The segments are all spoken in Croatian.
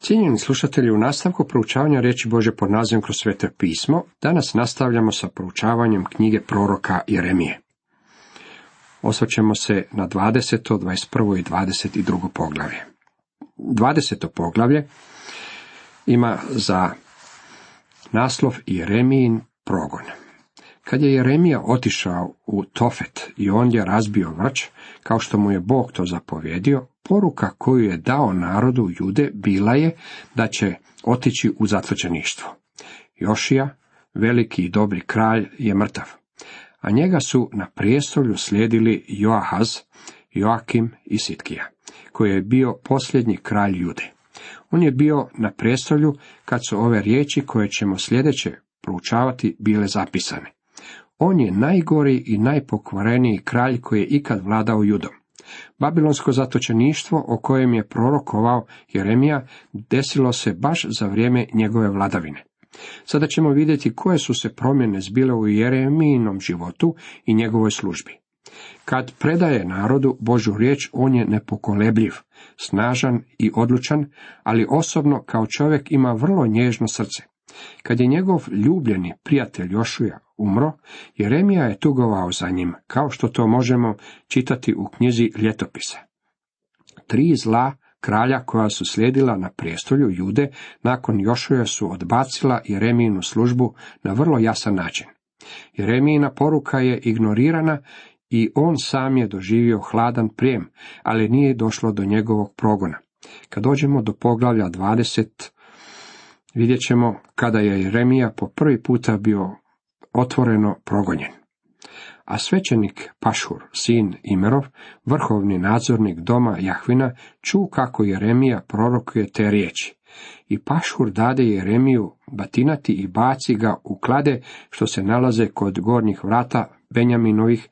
Cijenjeni slušatelji, u nastavku proučavanja riječi Božje pod nazivom Kroz Sveto pismo, danas nastavljamo sa proučavanjem knjige proroka Jeremije. Osvrćemo se na 20., 21. i 22. poglavlje. 20. poglavlje ima za naslov Jeremijin progon. Kad je Jeremija otišao u Tofet i ondje razbio vrč, kao što mu je Bog to zapovjedio, poruka koju je dao narodu Jude bila je da će otići u zatočeništvo. Jošija, veliki i dobri kralj, je mrtav, a njega su na prijestolju slijedili Joahaz, Joakim i Sitkija, koji je bio posljednji kralj Jude. On je bio na prijestolju kad su ove riječi koje ćemo sljedeće proučavati bile zapisane. On je najgori i najpokvareniji kralj koji je ikad vladao Judom. Babilonsko zatočeništvo o kojem je prorokovao Jeremija desilo se baš za vrijeme njegove vladavine. Sada ćemo vidjeti koje su se promjene zbile u Jeremijinom životu i njegovoj službi. Kad predaje narodu Božju riječ, on je nepokolebljiv, snažan i odlučan, ali osobno kao čovjek ima vrlo nježno srce. Kad je njegov ljubljeni prijatelj Jošija umro, Jeremija je tugovao za njim, kao što to možemo čitati u knjizi Ljetopisa. 3 zla kralja koja su slijedila na prijestolju Jude nakon Jošuje su odbacila Jeremijinu službu na vrlo jasan način. Jeremijina poruka je ignorirana i on sam je doživio hladan prijem, ali nije došlo do njegovog progona. Kad dođemo do poglavlja 20, vidjet ćemo kada je Jeremija po prvi puta bio otvoreno progonjen. A svećenik Pašhur, sin Imerov, vrhovni nadzornik doma Jahvina, ču kako Jeremija prorokuje te riječi. I Pašhur dade Jeremiju batinati i baci ga u klade što se nalaze kod gornjih vrata Benjaminovih,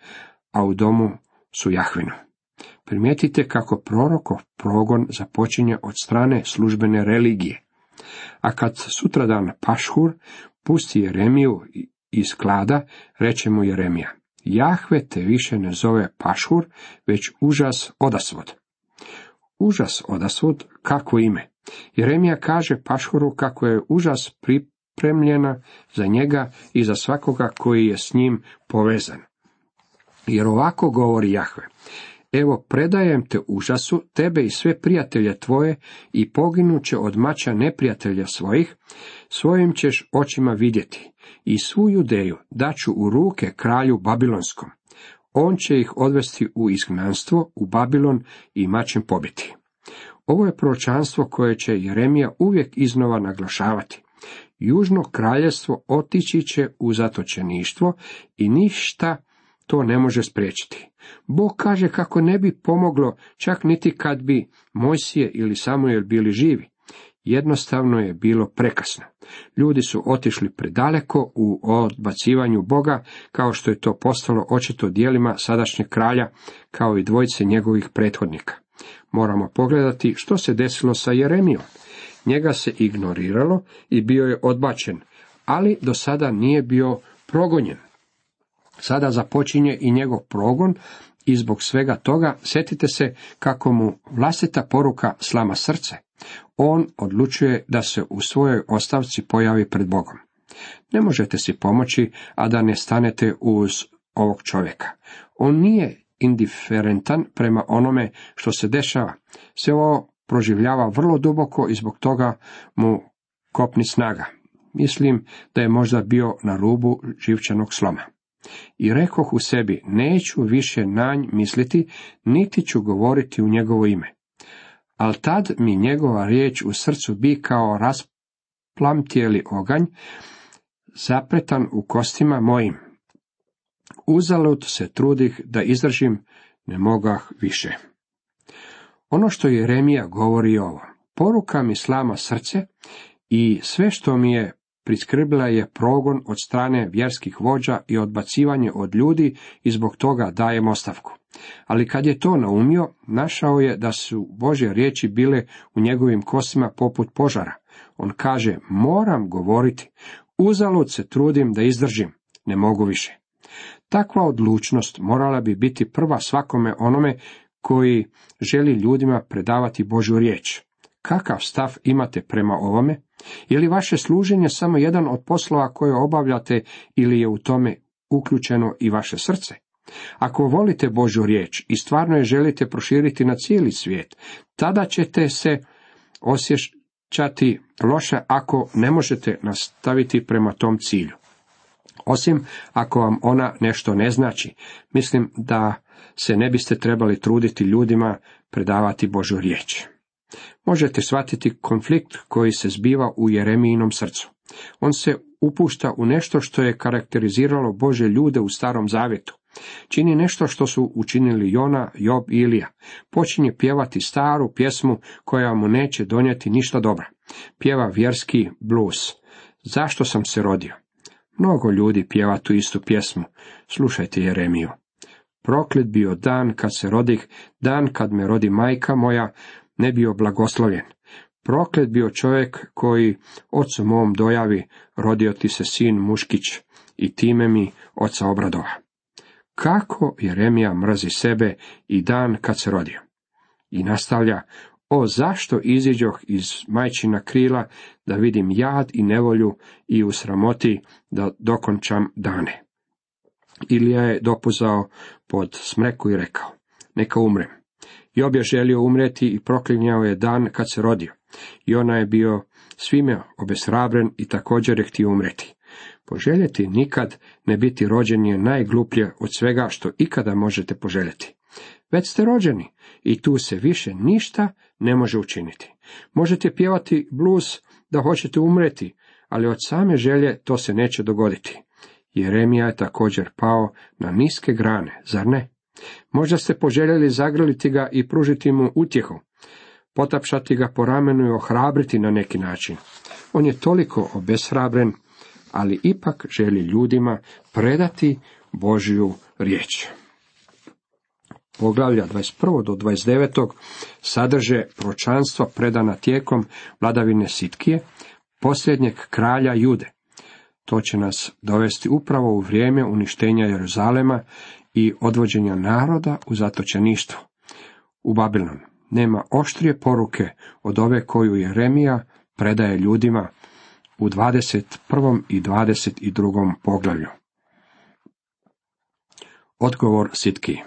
a u domu su Jahvinu. Primijetite kako prorokov progon započinje od strane službene religije. A kad sutradan Pašhur pusti Jeremiju iz klada, reče mu Jeremija: Jahve te više ne zove Pašhur, već užas odasvod. Užas odasvod, kako ime? Jeremija kaže Pašhuru kako je užas pripremljena za njega i za svakoga koji je s njim povezan. Jer ovako govori Jahve: Evo, predajem te užasu, tebe i sve prijatelje tvoje, i poginuće od mača neprijatelja svojih, svojim ćeš očima vidjeti, i svu Judeju daću u ruke kralju Babilonskom. On će ih odvesti u izgnanstvo, u Babilon, i mačem pobiti. Ovo je proročanstvo koje će Jeremija uvijek iznova naglašavati. Južno kraljevstvo otići će u zatočeništvo i ništa to ne može spriječiti. Bog kaže kako ne bi pomoglo čak niti kad bi Mojsije ili Samuel bili živi. Jednostavno je bilo prekasno. Ljudi su otišli predaleko u odbacivanju Boga, kao što je to postalo očito djelima sadašnjeg kralja, kao i dvojice njegovih prethodnika. Moramo pogledati što se desilo sa Jeremijom. Njega se ignoriralo i bio je odbačen, ali do sada nije bio progonjen. Sada započinje i njegov progon i zbog svega toga sjetite se kako mu vlastita poruka slama srce. On odlučuje da se u svojoj ostavci pojavi pred Bogom. Ne možete si pomoći, a da ne stanete uz ovog čovjeka. On nije indiferentan prema onome što se dešava. Sve ovo proživljava vrlo duboko i zbog toga mu kopni snaga. Mislim da je možda bio na rubu živčanog sloma. I rekoh u sebi, neću više na nj misliti, niti ću govoriti u njegovo ime. Al tad mi njegova riječ u srcu bi kao rasplamtjeli oganj, zapretan u kostima mojim. Uzalud se trudih da izdržim, ne mogah više. Ono što Jeremija govori je ovo: poruka mi slama srce i sve što mi je priskrbila je progon od strane vjerskih vođa i odbacivanje od ljudi i zbog toga dajem ostavku. Ali kad je to naumio, našao je da su Božje riječi bile u njegovim kostima poput požara. On kaže, moram govoriti, uzalud se trudim da izdržim, ne mogu više. Takva odlučnost morala bi biti prva svakome onome koji želi ljudima predavati Božju riječ. Kakav stav imate prema ovome? Je li vaše služenje samo jedan od poslova koje obavljate ili je u tome uključeno i vaše srce? Ako volite Božju riječ i stvarno je želite proširiti na cijeli svijet, tada ćete se osjećati loše ako ne možete nastaviti prema tom cilju. Osim ako vam ona nešto ne znači, mislim da se ne biste trebali truditi ljudima predavati Božju riječ. Možete shvatiti konflikt koji se zbiva u Jeremijinom srcu. On se upušta u nešto što je karakteriziralo Božje ljude u Starom Zavjetu. Čini nešto što su učinili Jona, Job i Ilija. Počinje pjevati staru pjesmu koja mu neće donijeti ništa dobra. Pjeva vjerski blues. Zašto sam se rodio? Mnogo ljudi pjeva tu istu pjesmu. Slušajte Jeremiju. Proklet bio dan kad se rodih, dan kad me rodi majka moja, ne bio blagoslovljen. Proklet bio čovjek koji ocu mom dojavi, rodio ti se sin muškić i time mi oca obradova. Kako Jeremija mrzi sebe i dan kad se rodio. I nastavlja, o zašto iziđoh iz majčina krila da vidim jad i nevolju i u sramoti da dokončam dane. Ilija je dopuzao pod smreku i rekao, neka umrem. Job je želio umreti i proklinjao je dan kad se rodio. I ona je bio svime obeshrabren i također je htio umreti. Poželjeti nikad ne biti rođen je najgluplje od svega što ikada možete poželjeti. Već ste rođeni i tu se više ništa ne može učiniti. Možete pjevati blues da hoćete umreti, ali od same želje to se neće dogoditi. Jeremija je također pao na niske grane, zar ne? Možda ste poželjeli zagrliti ga i pružiti mu utjehu, potapšati ga po ramenu i ohrabriti na neki način. On je toliko obeshrabren, ali ipak želi ljudima predati Božju riječ. Poglavlja 21. do 29. sadrže proročanstva predana tijekom vladavine Sitkije, posljednjeg kralja Jude. To će nas dovesti upravo u vrijeme uništenja Jeruzalema i odvođenja naroda u zatočeništvo. U Babilon nema oštrije poruke od ove koju Jeremija predaje ljudima u 21. i 22. poglavlju. Odgovor Sitkiji.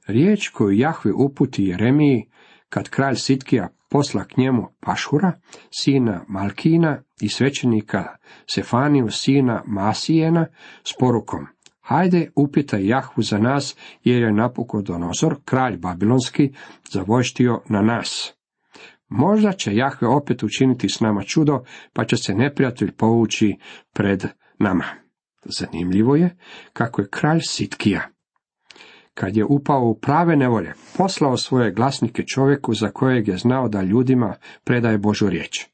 Riječ koju Jahve uputi Jeremiji kad kralj Sitkija posla k njemu Pašhura, sina Malkina i svećenika Sefaniju, sina Masijena, s porukom, hajde upitaj Jahvu za nas, jer je Nabukodonozor, kralj babilonski, zavojštio na nas. Možda će Jahve opet učiniti s nama čudo, pa će se neprijatelj povući pred nama. Zanimljivo je kako je kralj Sitkija, kad je upao u prave nevolje, poslao svoje glasnike čovjeku za kojeg je znao da ljudima predaje Božju riječ.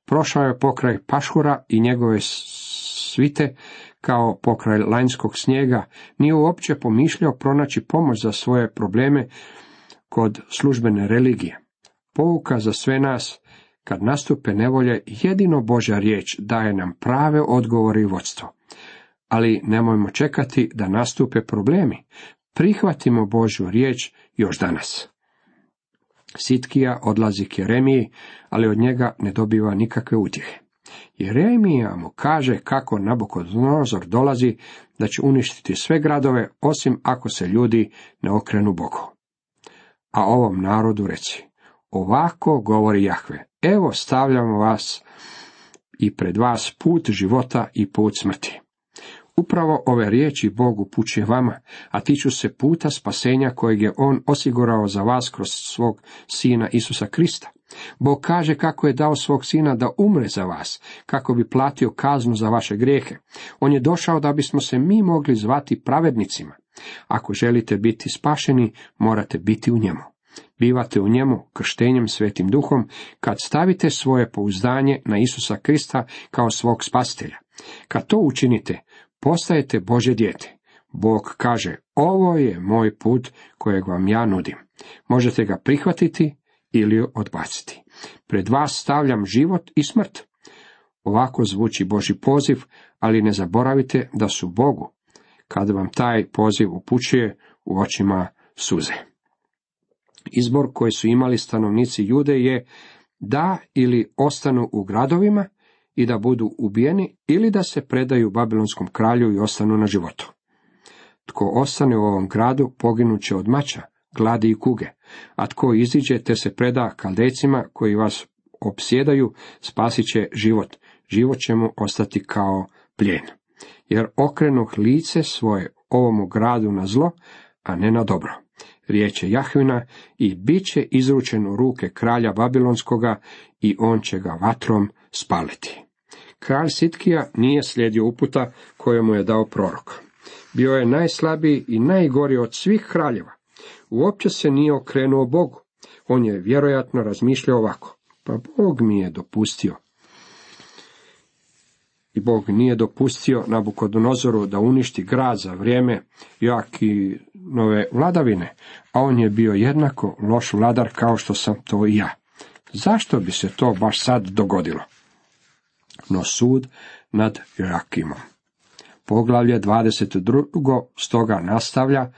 Prošao je pokraj Pašhura i njegove svite kao pokraj lanjskog snijega, nije uopće pomišljao pronaći pomoć za svoje probleme kod službene religije. Pouka za sve nas, kad nastupe nevolje, jedino Božja riječ daje nam prave odgovore i vodstvo. Ali nemojmo čekati da nastupe problemi. Prihvatimo Božju riječ još danas. Sitkija odlazi k Jeremiji, ali od njega ne dobiva nikakve utjehe. Jeremija mu kaže kako Nabukodonozor dolazi, da će uništiti sve gradove, osim ako se ljudi ne okrenu Bogu. A ovom narodu reci, ovako govori Jahve, evo stavljamo vas i pred vas put života i put smrti. Upravo ove riječi Bog upućuje vama, a tiču se puta spasenja kojeg je On osigurao za vas kroz svog Sina Isusa Krista. Bog kaže kako je dao svog Sina da umre za vas, kako bi platio kaznu za vaše grijehe. On je došao da bismo se mi mogli zvati pravednicima. Ako želite biti spašeni, morate biti u njemu. Bivate u njemu krštenjem Svetim Duhom, kad stavite svoje pouzdanje na Isusa Krista kao svog spasitelja. Kad to učinite, postajete Božje dijete. Bog kaže, ovo je moj put kojeg vam ja nudim. Možete ga prihvatiti ili odbaciti. Pred vas stavljam život i smrt. Ovako zvuči Božji poziv, ali ne zaboravite da su Bogu, kad vam taj poziv upućuje, u očima suze. Izbor koji su imali stanovnici Jude je da ili ostanu u gradovima i da budu ubijeni, ili da se predaju babilonskom kralju i ostanu na životu. Tko ostane u ovom gradu, poginut će od mača, gladi i kuge, a tko iziđe te se preda Kaldejcima koji vas opsjedaju, spasit će život, život će mu ostati kao plijen. Jer okrenuh lice svoje ovomu gradu na zlo, a ne na dobro. Riječ je Jahvina, i bit će izručen u ruke kralja Babilonskoga i on će ga vatrom spaliti. Kralj Sitkija nije slijedio uputa koje mu je dao prorok. Bio je najslabiji i najgori od svih kraljeva. Uopće se nije okrenuo Bogu. On je vjerojatno razmišljao ovako: pa Bog mi je dopustio. I Bog nije dopustio Nabukodonozoru da uništi grad za vrijeme Joakinove vladavine, a on je bio jednako loš vladar kao što sam to i ja. Zašto bi se to baš sad dogodilo? No sud nad Joakimom. Poglavlje 22. stoga nastavlja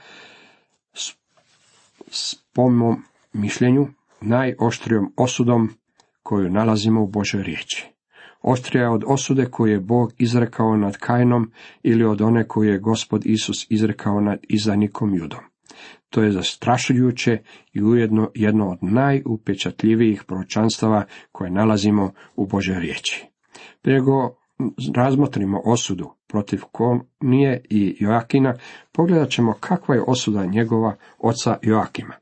po mom mišljenju najoštrijom osudom koju nalazimo u Božoj riječi. Oštrija od osude koju je Bog izrekao nad Kainom ili od one koju je Gospod Isus izrekao nad izdajnikom Judom. To je zastrašujuće i ujedno jedno od najupečatljivijih proročanstava koje nalazimo u Božoj riječi. Prije nego razmotrimo osudu protiv Konije i Joakina, pogledat ćemo kakva je osuda njegova oca Joakima.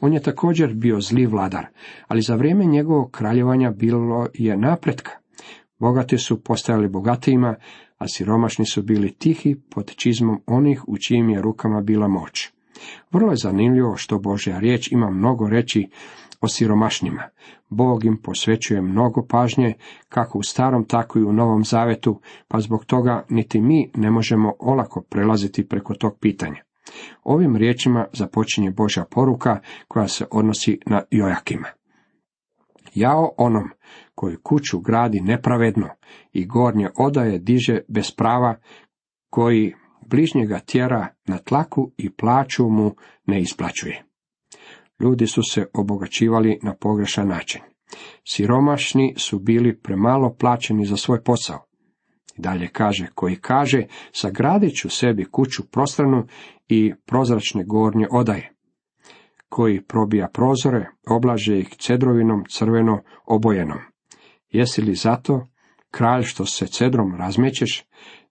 On je također bio zli vladar, ali za vrijeme njegovog kraljevanja bilo je napretka. Bogati su postajali bogatijima, a siromašni su bili tihi pod čizmom onih u čijim je rukama bila moć. Vrlo je zanimljivo što Božja riječ ima mnogo reći o siromašnima. Bog im posvećuje mnogo pažnje, kako u Starom, tako i u Novom Zavetu, pa zbog toga niti mi ne možemo olako prelaziti preko tog pitanja. Ovim riječima započinje Božja poruka koja se odnosi na Joakima. Jao onom koji kuću gradi nepravedno i gornje odaje diže bez prava, koji bližnjega tjera na tlaku i plaću mu ne isplaćuje. Ljudi su se obogaćivali na pogrešan način. Siromašni su bili premalo plaćeni za svoj posao. Dalje kaže, koji kaže, sagradit ću sebi kuću prostranu i prozračne gornje odaje, koji probija prozore, oblaže ih cedrovinom crveno obojenom. Jesi li zato, kralj, što se cedrom razmećeš?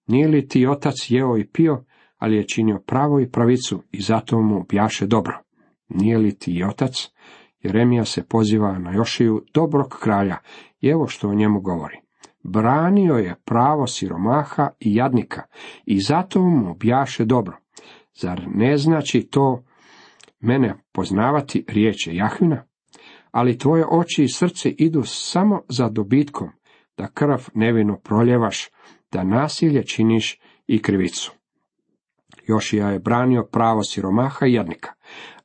Nije li ti otac jeo i pio, ali je činio pravo i pravicu i zato mu bjaše dobro? Nije li ti otac? Jeremija se poziva na Jošiju, dobrog kralja, i evo što o njemu govori. Branio je pravo siromaha i jadnika i zato mu bjaše dobro. Zar ne znači to mene poznavati, riječ je Jahvina? Ali tvoje oči i srce idu samo za dobitkom, da krv nevino proljevaš, da nasilje činiš i krivicu. Jošija je branio pravo siromaha i jadnika,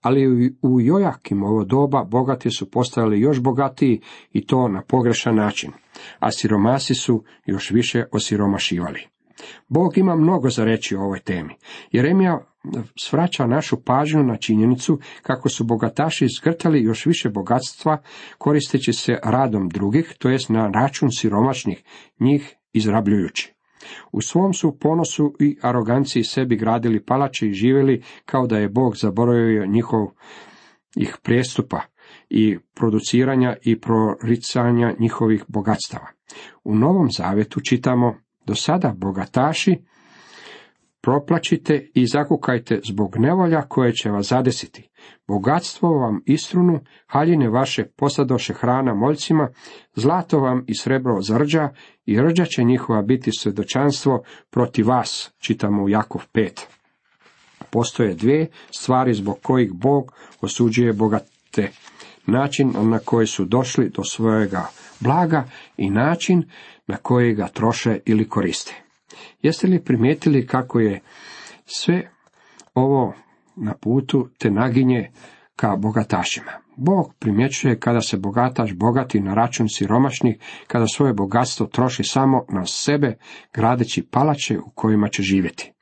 ali u Joakimovo doba bogati su postajali još bogatiji i to na pogrešan način, a siromasi su još više osiromašivali. Bog ima mnogo za reći o ovoj temi. Jeremija svraća našu pažnju na činjenicu kako su bogataši zgrtali još više bogatstva koristeći se radom drugih, to jest na račun siromašnih, njih izrabljujući. U svom su ponosu i aroganciji sebi gradili palače i živjeli kao da je Bog zaboravio ih prijestupa i produciranja i proricanja njihovih bogatstava. U Novom Zavetu čitamo, do sada bogataši, proplačite i zakukajte zbog nevolja koje će vas zadesiti. Bogatstvo vam istrunu, haljine vaše posadoše hrana moljcima, zlato vam i srebro zarđa i rđa će njihova biti svjedočanstvo protiv vas, čitamo u Jakov 5. Postoje dvije stvari zbog kojih Bog osuđuje bogate. Način na koji su došli do svojega blaga i način na koji ga troše ili koriste. Jeste li primijetili kako je sve ovo na putu te naginje ka bogatašima? Bog primjećuje kada se bogataš bogati na račun siromašnih, kada svoje bogatstvo troši samo na sebe, gradeći palače u kojima će živjeti.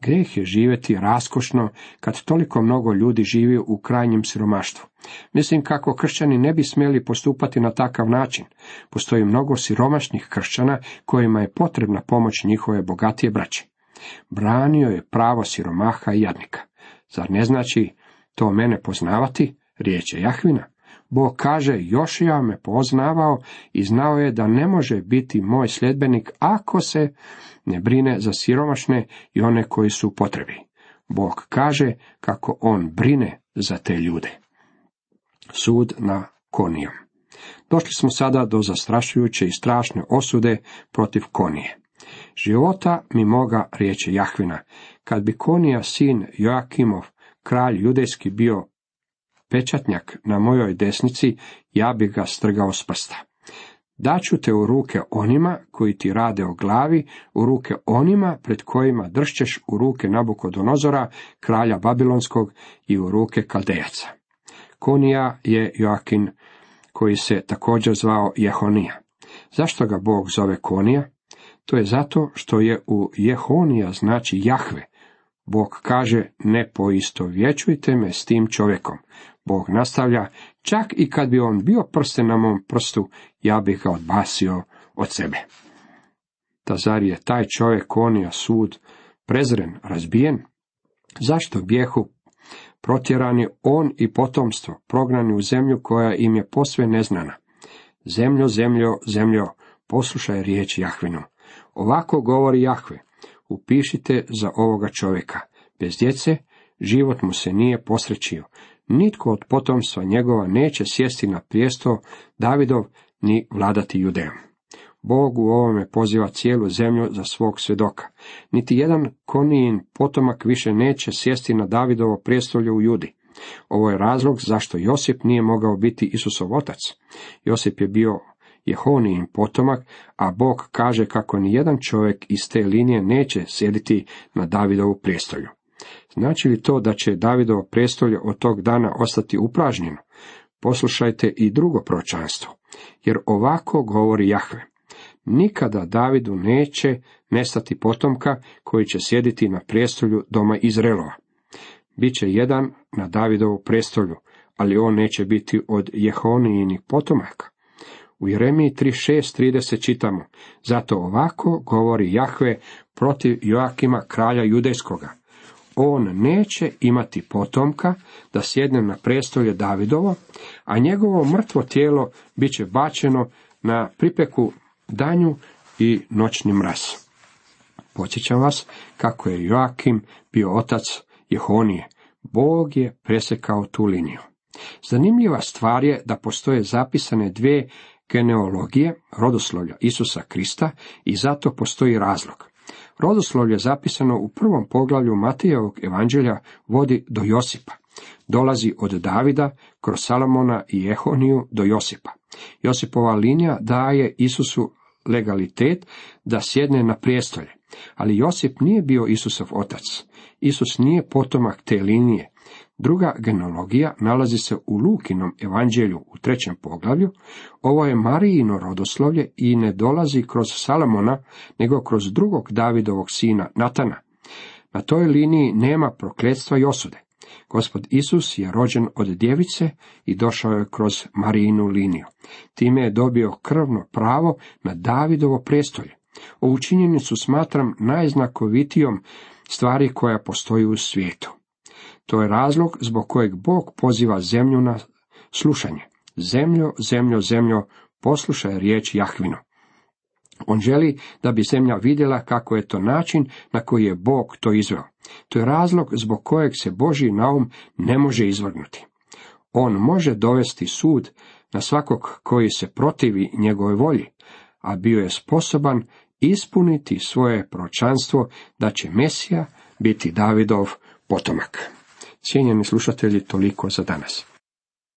Grijeh je živjeti raskošno kad toliko mnogo ljudi živi u krajnjem siromaštvu. Mislim kako kršćani ne bi smjeli postupati na takav način. Postoji mnogo siromašnih kršćana kojima je potrebna pomoć njihove bogatije braće. Branio je pravo siromaha i jadnika. Zar ne znači to mene poznavati? Riječ je Jahvina. Bog kaže, Jošija me poznavao i znao je da ne može biti moj sljedbenik ako se ne brine za siromašne i one koji su u potrebi. Bog kaže kako on brine za te ljude. Sud na Konijom. Došli smo sada do zastrašujuće i strašne osude protiv Konije. Života mi moga, riječi Jahvina, kad bi Konija sin Joakimov, kralj judejski, bio pečatnjak na mojoj desnici, ja bih ga strgao s prsta. Daću te u ruke onima koji ti rade o glavi, u ruke onima pred kojima dršćeš, u ruke Nabukodonozora, kralja Babilonskog, i u ruke Kaldejaca. Konija je Joakin, koji se također zvao Jehonija. Zašto ga Bog zove Konija? To je zato što je u Jehonija znači Jahve. Bog kaže, ne poistovjećujte me s tim čovjekom. Bog nastavlja, čak i kad bi on bio prsten na mom prstu, ja bih ga odbasio od sebe. Da zar je taj čovjek Konija sud prezren, razbijen? Zašto bijehu protjerani on i potomstvo, prognani u zemlju koja im je posve neznana? Zemljo, zemljo, zemljo, poslušaj riječ Jahvinu. Ovako govori Jahve, upišite za ovoga čovjeka. Bez djece život mu se nije posrećio. Nitko od potomstva njegova neće sjesti na prijestol Davidov ni vladati Judejom. Bog u ovome poziva cijelu zemlju za svog svjedoka. Niti jedan Konijin potomak više neće sjesti na Davidovo prijestolje u Judi. Ovo je razlog zašto Josip nije mogao biti Isusov otac. Josip je bio Jehonijin potomak, a Bog kaže kako ni jedan čovjek iz te linije neće sjediti na Davidovu prijestolju. Znači li to da će Davidovo prijestolje od tog dana ostati upražnjeno? Poslušajte i drugo proročanstvo, jer ovako govori Jahve. Nikada Davidu neće nestati potomka koji će sjediti na prijestolju doma Izraelova. Biće jedan na Davidovu prijestolju, ali on neće biti od Jehonijinih potomaka. U Jeremiji 3:6-30 čitamo, zato ovako govori Jahve protiv Joakima kralja judejskoga. On neće imati potomka da sjedne na prijestolje Davidovo, a njegovo mrtvo tijelo bit će bačeno na pripeku danju i noćni mraz. Podsjećam vas kako je Joakim bio otac Jehonije. Bog je presjekao tu liniju. Zanimljiva stvar je da postoje zapisane dvije genealogije rodoslovlja Isusa Krista i zato postoji razlog. Rodoslovlje zapisano u prvom poglavlju Matejevog evanđelja vodi do Josipa. Dolazi od Davida kroz Salomona i Jehoniju do Josipa. Josipova linija daje Isusu legalitet da sjedne na prijestolje, ali Josip nije bio Isusov otac. Isus nije potomak te linije. Druga genealogija nalazi se u Lukinom evanđelju u 3. poglavlju. Ovo je Marijino rodoslovlje i ne dolazi kroz Salomona, nego kroz drugog Davidovog sina Natana. Na toj liniji nema prokletstva i osude. Gospod Isus je rođen od djevice i došao je kroz Marijinu liniju. Time je dobio krvno pravo na Davidovo prijestolje. Ovu činjenicu smatram najznakovitijom stvari koja postoji u svijetu. To je razlog zbog kojeg Bog poziva zemlju na slušanje. Zemljo, zemljo, zemljo, poslušaj riječ Jahvinu. On želi da bi zemlja vidjela kako je to način na koji je Bog to izveo. To je razlog zbog kojeg se Božji naum ne može izvrgnuti. On može dovesti sud na svakog koji se protivi njegovoj volji, a bio je sposoban ispuniti svoje proročanstvo da će Mesija biti Davidov potomak. Cijenjeni slušatelji, toliko za danas.